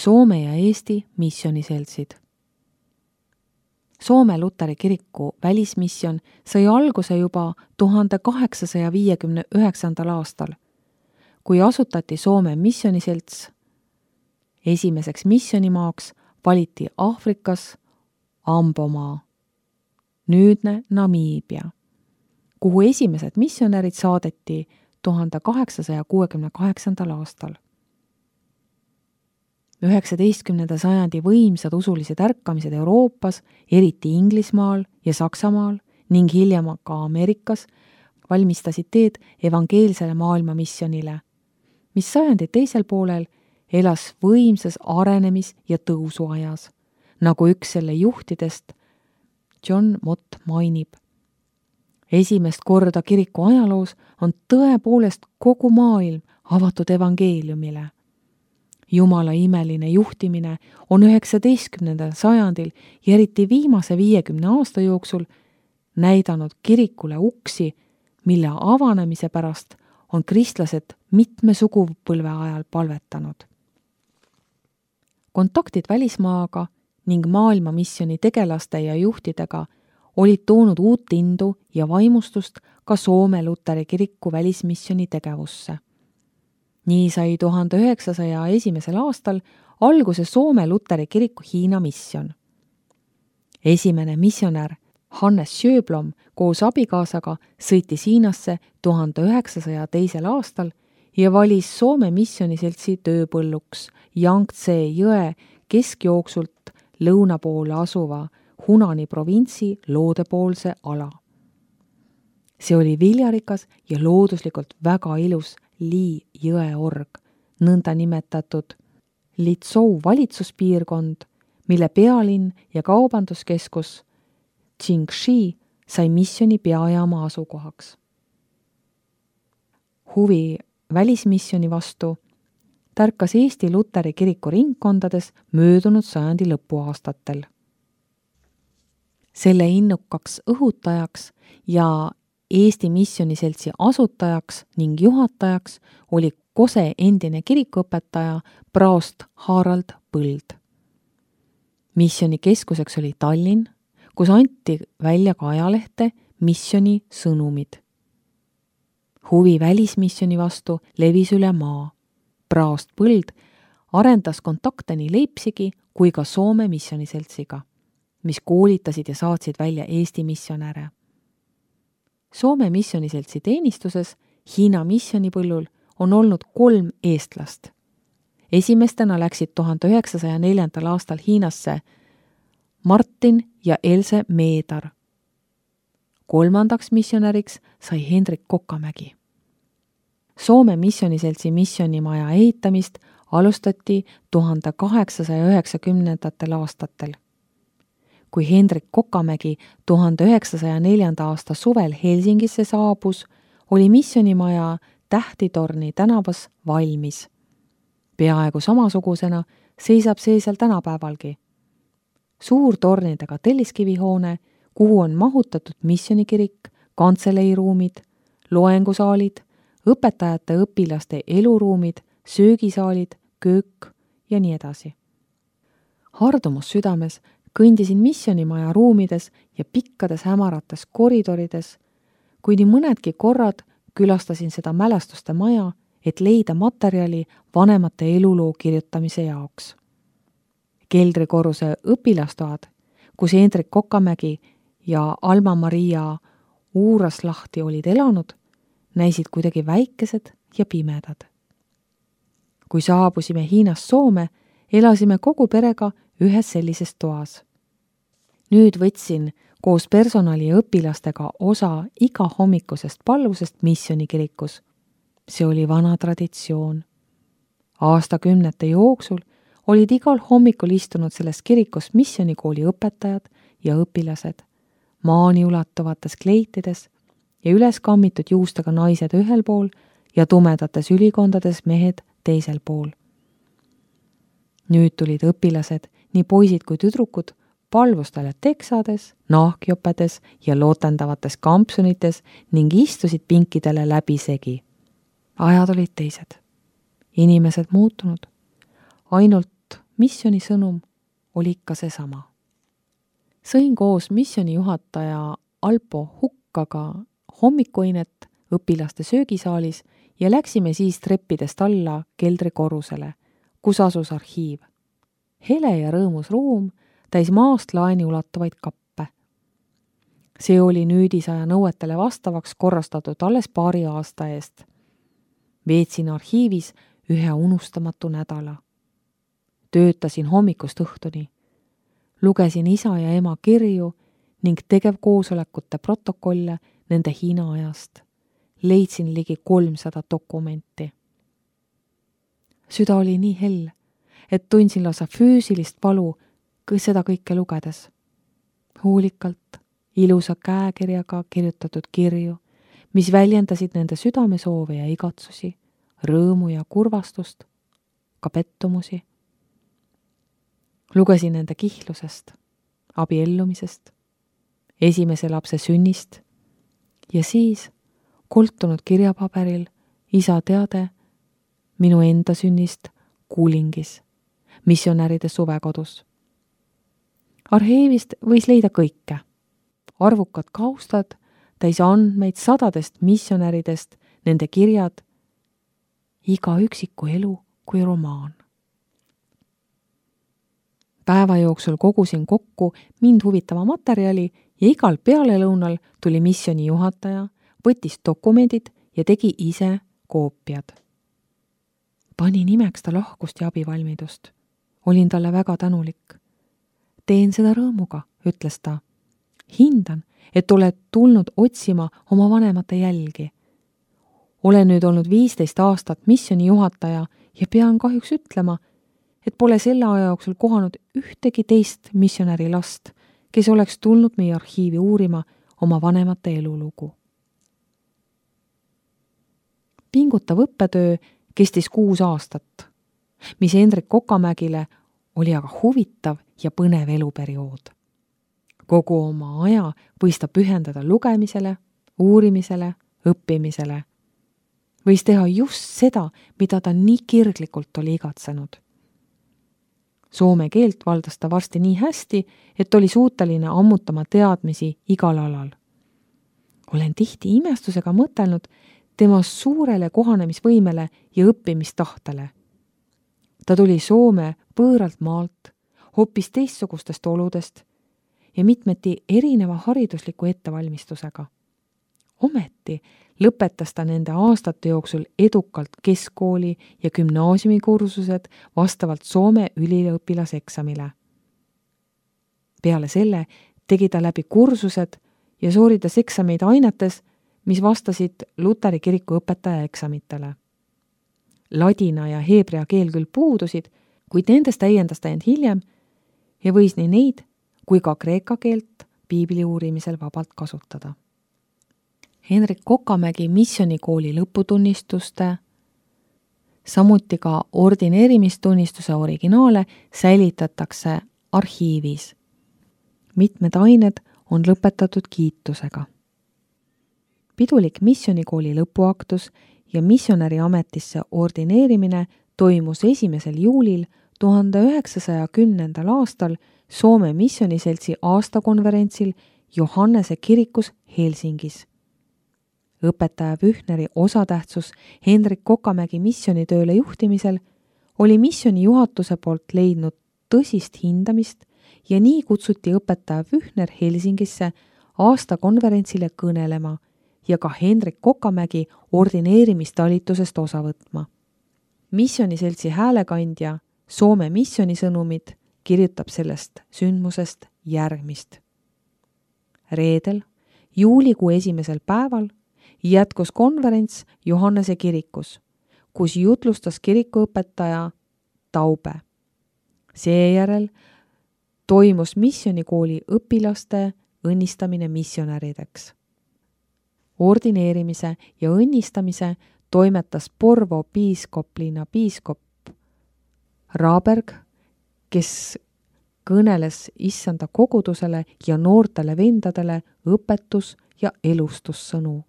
Soome ja Eesti missioniseltsid. Soome Luteri kiriku välismisjon sai alguse juba 1859. aastal, kui asutati Soome missioniselts. Esimeseks missionimaaks valiti Aafrikas Ambomaa, nüüdne Namiibia, kuhu esimesed missionärid saadeti 1868. aastal. 19. sajandi võimsad usulised ärkamised Euroopas, eriti Inglismaal ja Saksamaal ning hiljem ka Ameerikas, valmistasid teed evangeelsele maailma missionile, mis sajandi teisel poolel elas võimsas arenemis- ja tõusuajas, nagu üks selle juhtidest, John Mott, mainib. Esimest korda kiriku ajaloos on tõepoolest kogu maailm avatud evangeeliumile. Jumala imeline juhtimine on 19. sajandil ja eriti viimase 50 aasta jooksul näidanud kirikule uksi, mille avanemise pärast on kristlased mitme sugupõlve ajal palvetanud. Kontaktid välismaaga ning maailmamissioni tegelaste ja juhtidega olid toonud uut indu ja vaimustust ka Soome Luteri kiriku välismissioni tegevusse. Nii sai 1901. aastal alguse Soome Luteri kiriku Hiina mission. Esimene missionär Hannes Sjöblom koos abikaasaga sõitis Hiinasse 1902. aastal ja valis Soome missioniseltsi tööpõlluks Yangtze jõe keskjooksult lõuna poole asuva Hunani provintsi loodepoolse ala. See oli viljarikas ja looduslikult väga ilus Li jõeorg, nõnda nimetatud Litsou valitsuspiirkond, mille pealinn ja kaubanduskeskus Qingxi sai missioni peajaama asukohaks. Huvi välismissioni vastu tärkas Eesti Luteri kiriku ringkondades möödunud sajandi lõpuaastatel. Selle innukaks õhutajaks ja Eesti missioniseltsi asutajaks ning juhatajaks oli Kose endine kirikuõpetaja praost Harald Põld. Missioni keskuseks oli Tallinn, kus anti välja ka ajalehte missioni sõnumid. Huvi välismissioni vastu levis üle maa. Praost Põld arendas kontakte nii Leipzigi kui ka Soome missioniseltsiga, mis koolitasid ja saatsid välja Eesti missionäre. Soome missioniseltsi teenistuses Hiina missionipõllul on olnud 3 eestlast. Esimestena läksid 1904. aastal Hiinasse Martin ja Else Meedar. 3. missionäriks sai Hendrik Kokamägi. Soome missioniseltsi missionimaja ehitamist alustati 1890. aastatel. Kui Hendrik Kokamägi 1904. aasta suvel Helsingisse saabus, oli missionimaja Tähtitorni tänavas valmis. Peaaegu samasugusena seisab see seal tänapäevalgi. Suur tornidega telliskivihoone, kuhu on mahutatud missionikirik, kantseleiruumid, loengusaalid, õpetajate õpilaste eluruumid, söögisaalid, köök ja nii edasi. Hardumus südames kõndisin missionimaja ruumides ja pikkades hämarates koridorides, kui nii mõnedki korrad külastasin seda mälestuste maja, et leida materjali vanemate eluloo kirjutamise jaoks. Keldrikorruse õpilastoad, kus Hendrik Kokamägi ja Alma-Maria Uuraslahti olid elanud, näisid kuidagi väikesed ja pimedad. Kui saabusime Hiinast Soome, elasime kogu perega ühes sellises toas. Nüüd võtsin koos personali ja õpilastega osa iga hommikusest palvusest missionikirikus. See oli vana traditsioon. Aastakümnete jooksul olid igal hommikul istunud selles kirikus missionikooli õpetajad ja õpilased, maani ulatuvates kleitides ja üles kammitud juustega naised ühel pool ja tumedates ülikondades mehed teisel pool. Nüüd tulid õpilased, nii poisid kui tüdrukud, palvustele teksades, nahkjopedes ja lootendavates kampsunites ning istusid pinkidele läbisegi. Ajad olid teised. Inimesed muutunud. Ainult misjoni sõnum oli ikka seesama. Sõin koos misjoni juhataja Alpo Hukkaga hommikuinet õpilaste söögisaalis ja läksime siis treppidest alla keldrikorrusele, kus asus arhiiv. Hele ja rõõmus ruum täis maast laeni ulatuvaid kappe. See oli nüüdisaja nõuetele vastavaks korrastatud alles paari aasta eest. Veetsin arhiivis ühe unustamatu nädala. Töötasin hommikust õhtuni. Lugesin isa ja ema kirju ning tegevkoosolekute protokolle nende Hiina ajast. Leidsin ligi 300 dokumenti. Süda oli nii hell, et tundsin lausa füüsilist valu seda kõike lugedes. Hoolikalt, ilusa käekirjaga kirjutatud kirju, mis väljendasid nende südamesoove ja igatsusi, rõõmu ja kurvastust, ka pettumusi. Lugesin nende kihlusest, abiellumisest, esimese lapse sünnist ja siis koltunud kirjapaberil isa teade minu enda sünnist Kuulingis, missionäride suvekodus. Arhiivist võis leida kõike. Arvukad kaustad, täis andmeid sadadest missionäridest, nende kirjad, iga üksiku elu kui romaan. Päeva jooksul kogusin kokku mind huvitava materjali ja igal pealelõunal tuli misjoni juhataja, võttis dokumendid ja tegi ise koopiad. Pani nimeks ta lahkust ja abivalmidust. Olin talle väga tänulik. Teen seda rõõmuga, ütles ta. Hindan, et oled tulnud otsima oma vanemate jälgi. Olen nüüd olnud 15 aastat misjoni juhataja ja pean kahjuks ütlema, et pole selle aja jooksul kohanud ühtegi teist missionäri last, kes oleks tulnud meie arhiivi uurima oma vanemate elulugu. Pingutav õppetöö kestis 6 aastat, mis Hendrik Kokamägile oli aga huvitav ja põnev eluperiood. Kogu oma aja võis ta pühendada lugemisele, uurimisele, õppimisele. Võis teha just seda, mida ta nii kirglikult oli igatsenud. Soome keelt valdas ta varsti nii hästi, et oli suuteline ammutama teadmisi igal alal. Olen tihti imestusega mõtelnud tema suurele kohanemisvõimele ja õppimistahtele. Ta tuli Soome võõralt maalt, hoopis teistsugustest oludest ja mitmeti erineva haridusliku ettevalmistusega. Ometi lõpetas ta nende aastate jooksul edukalt keskkooli ja gümnaasiumikursused vastavalt Soome üliõpilaseksamile. Peale selle tegi ta läbi kursused ja sooritas eksameid ainetes, mis vastasid Luteri kiriku õpetaja eksamitele. Ladina ja heebrea keel küll puudusid, kuid nendest täiendas ta end hiljem ja võis nii neid kui ka kreeka keelt piibli uurimisel vabalt kasutada. Hendrik Kokamägi missionikooli lõputunnistuste, samuti ka ordineerimistunnistuse originaale säilitatakse arhiivis. Mitmed ained on lõpetatud kiitusega. Pidulik missionikooli lõpuaktus ja missionäri ametisse ordineerimine toimus 1. juulil 1910. aastal Soome missioniseltsi aastakonverentsil Johannese kirikus Helsingis. Õpetaja Pühneri osatähtsus Hendrik Kokamägi missionitööle juhtimisel oli missioni juhatuse poolt leidnud tõsist hindamist ja nii kutsuti õpetaja Pühner Helsingisse aastakonverentsile kõnelema ja ka Hendrik Kokamägi ordineerimistalitusest osa võtma. Missioniseltsi häälekandja Soome missionisõnumid kirjutab sellest sündmusest järgmist. Reedel, juulikuu 1. päeval jätkus konverents Johannese kirikus, kus jutlustas kirikuõpetaja Taube. Seejärel toimus missionikooli õpilaste õnnistamine missionärideks. Ordineerimise ja õnnistamise toimetas Porvo piiskoplinna piiskop Raaberg, kes kõneles issanda kogudusele ja noortele vendadele õpetus- ja elustussõnu.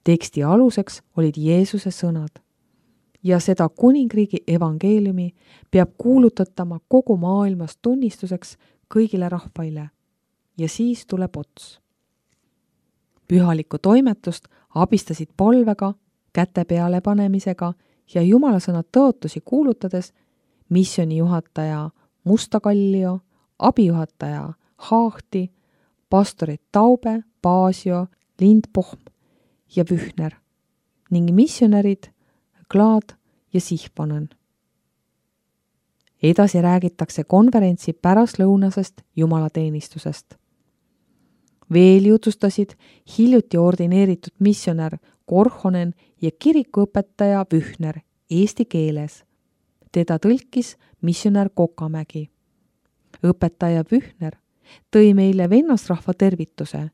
Teksti aluseks olid Jeesuse sõnad. ja seda kuningriigi evangeeliumi peab kuulutatama kogu maailmas tunnistuseks kõigile rahvaile ja siis tuleb ots. Pühalikku toimetust abistasid palvega, käte peale panemisega ja jumalasõna tõotusi kuulutades missiooni juhataja Mustakallio, abijuhataja Haahti, pastorid Taube, Paasio, Lindpohm ja Vühner ning missionärid Klaad ja Sihvonen. Edasi räägitakse konverentsi pärastlõunasest jumalateenistusest. Veel jutustasid hiljuti ordineeritud missionär Korhonen ja kirikuõpetaja Vühner eesti keeles. Teda tõlkis missionär Kokamägi. Õpetaja Vühner tõi meile vennasrahva tervituse,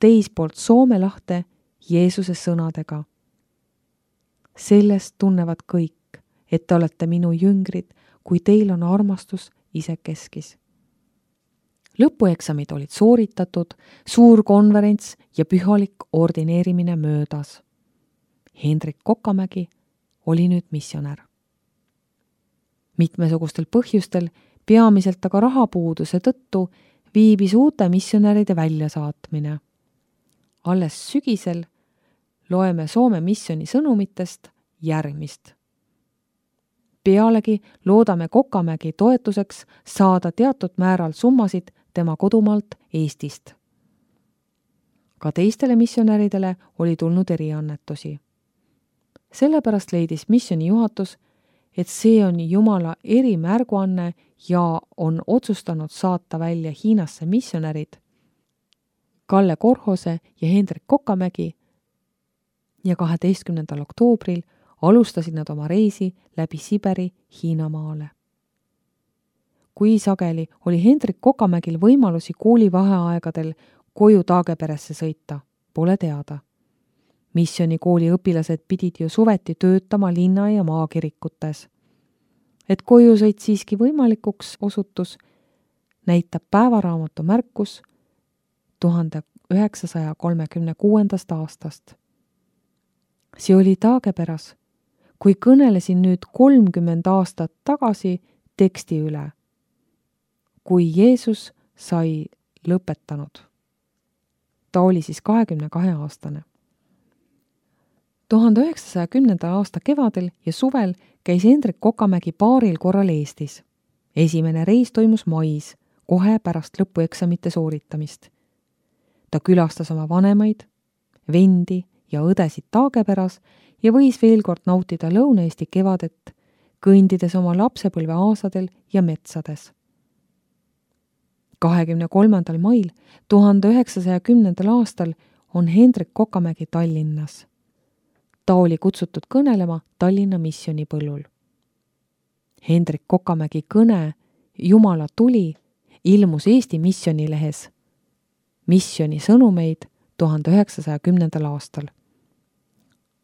teispoolt Soome lahte Jeesuse sõnadega. Sellest tunnevad kõik, et te olete minu jüngrid, kui teil on armastus isekeskis. Lõpueksamid olid sooritatud, suur konverents ja pühalik ordineerimine möödas. Hendrik Kokamägi oli nüüd missionär. Mitmesugustel põhjustel, peamiselt aga rahapuuduse tõttu, viibis uute missionäride väljasaatmine. Alles sügisel loeme Soome missiooni sõnumitest järgmist. Pealegi loodame Kokamägi toetuseks saada teatud määral summasid tema kodumaalt Eestist. Ka teistele missionäridele oli tulnud eriannetusi. Sellepärast leidis missiooni juhatus, et see on Jumala erimärguanne ja on otsustanud saata välja Hiinasse missionärid Kalle Korhose ja Hendrik Kokamägi ja 12. oktoobril alustasid nad oma reisi läbi Siberi Hiinamaale. Kui sageli oli Hendrik Kokamägil võimalusi koolivaheaegadel koju Taageperesse sõita, pole teada. Missioonikooli õpilased pidid ju suveti töötama linna- ja maakirikutes. Et koju sõit siiski võimalikuks osutus, näitab päevaraamatu märkus 1936. aastast. See oli Taageperas, kui kõnelesin nüüd 30 aastat tagasi teksti üle, kui Jeesus sai lõpetanud. Ta oli siis 22-aastane. 1910. aasta kevadel ja suvel käis Hendrik Kokamägi paaril korral Eestis. Esimene reis toimus mais, kohe pärast lõpueksamite sooritamist. Ta külastas oma vanemaid, vendi ja õdesid Taageperas ja võis veel kord nautida Lõuna-Eesti kevadet, kõndides oma lapsepõlve aasadel ja metsades. 23. mail 1910. aastal on Hendrik Kokamägi Tallinnas. Ta oli kutsutud kõnelema Tallinna missioonipõllul. Hendrik Kokamägi kõne Jumala tuli ilmus Eesti missioonilehes Missiooni sõnumeid 1910. aastal.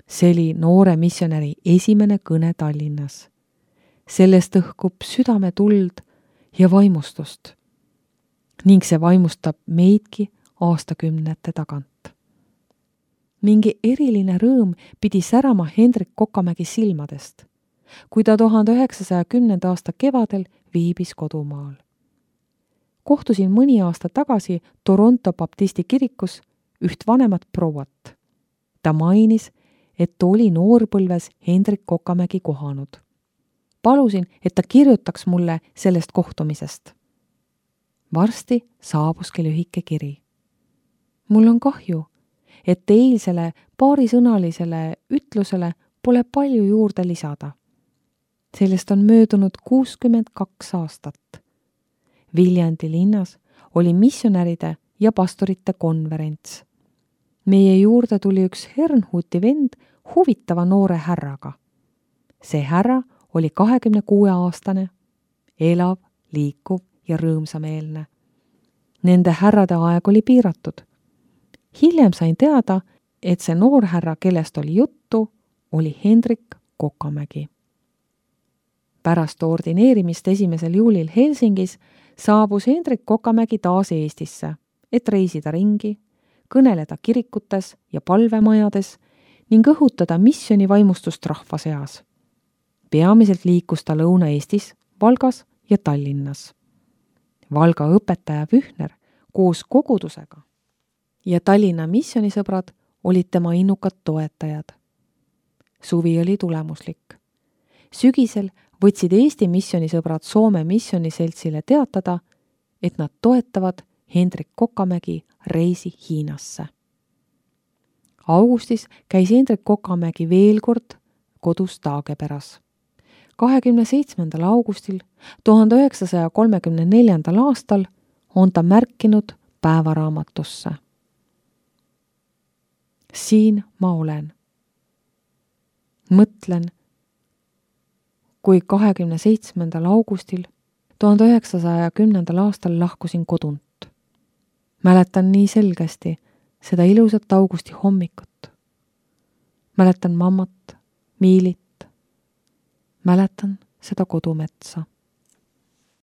See oli noore missionäri esimene kõne Tallinnas. Sellest õhkub südametuld ja vaimustust ning see vaimustab meidki aastakümnete tagant. Mingi eriline rõõm pidi särama Hendrik Kokamägi silmadest, kui ta 1910. aasta kevadel viibis kodumaal. Kohtusin mõni aasta tagasi Toronto baptisti kirikus üht vanemat prouat. Ta mainis, et oli noorpõlves Hendrik Kokamägi kohanud. Palusin, et ta kirjutaks mulle sellest kohtumisest. Varsti saabuski lühike kiri. Mul on kahju, et eilsele paarisõnalisele ütlusele pole palju juurde lisada. Sellest on möödunud 62 aastat. Viljandi linnas oli missionäride ja pastorite konverents. Meie juurde tuli üks Hernhuti vend huvitava noore härraga. See härra oli 26-aastane, elav, liikuv ja rõõmsameelne. Nende härrade aeg oli piiratud. Hiljem sain teada, et see noor härra, kellest oli juttu, oli Hendrik Kokamägi. Pärast ordineerimist 1. juulil Helsingis saabus Hendrik Kokamägi taas Eestisse, et reisida ringi, kõneleda kirikutes ja palvemajades ning õhutada missioonivaimustust rahva seas. Peamiselt liikus ta Lõuna-Eestis, Valgas ja Tallinnas. Valga õpetaja Pühner koos kogudusega ja Tallinna missioonisõbrad olid tema innukad toetajad. Suvi oli tulemuslik. Sügisel võtsid Eesti missioonisõbrad Soome missiooniseltsile teatada, et nad toetavad Hendrik Kokamägi reisi Hiinasse. Augustis käis Hendrik Kokamägi veel kord kodus Taageperas. 27. augustil 1934. aastal on ta märkinud päevaraamatusse. Siin ma olen. Mõtlen, kui 27. augustil 1910. aastal lahkusin kodunt. Mäletan nii selgesti seda ilusat augusti hommikut. Mäletan mammat, Miilit. Mäletan seda kodumetsa.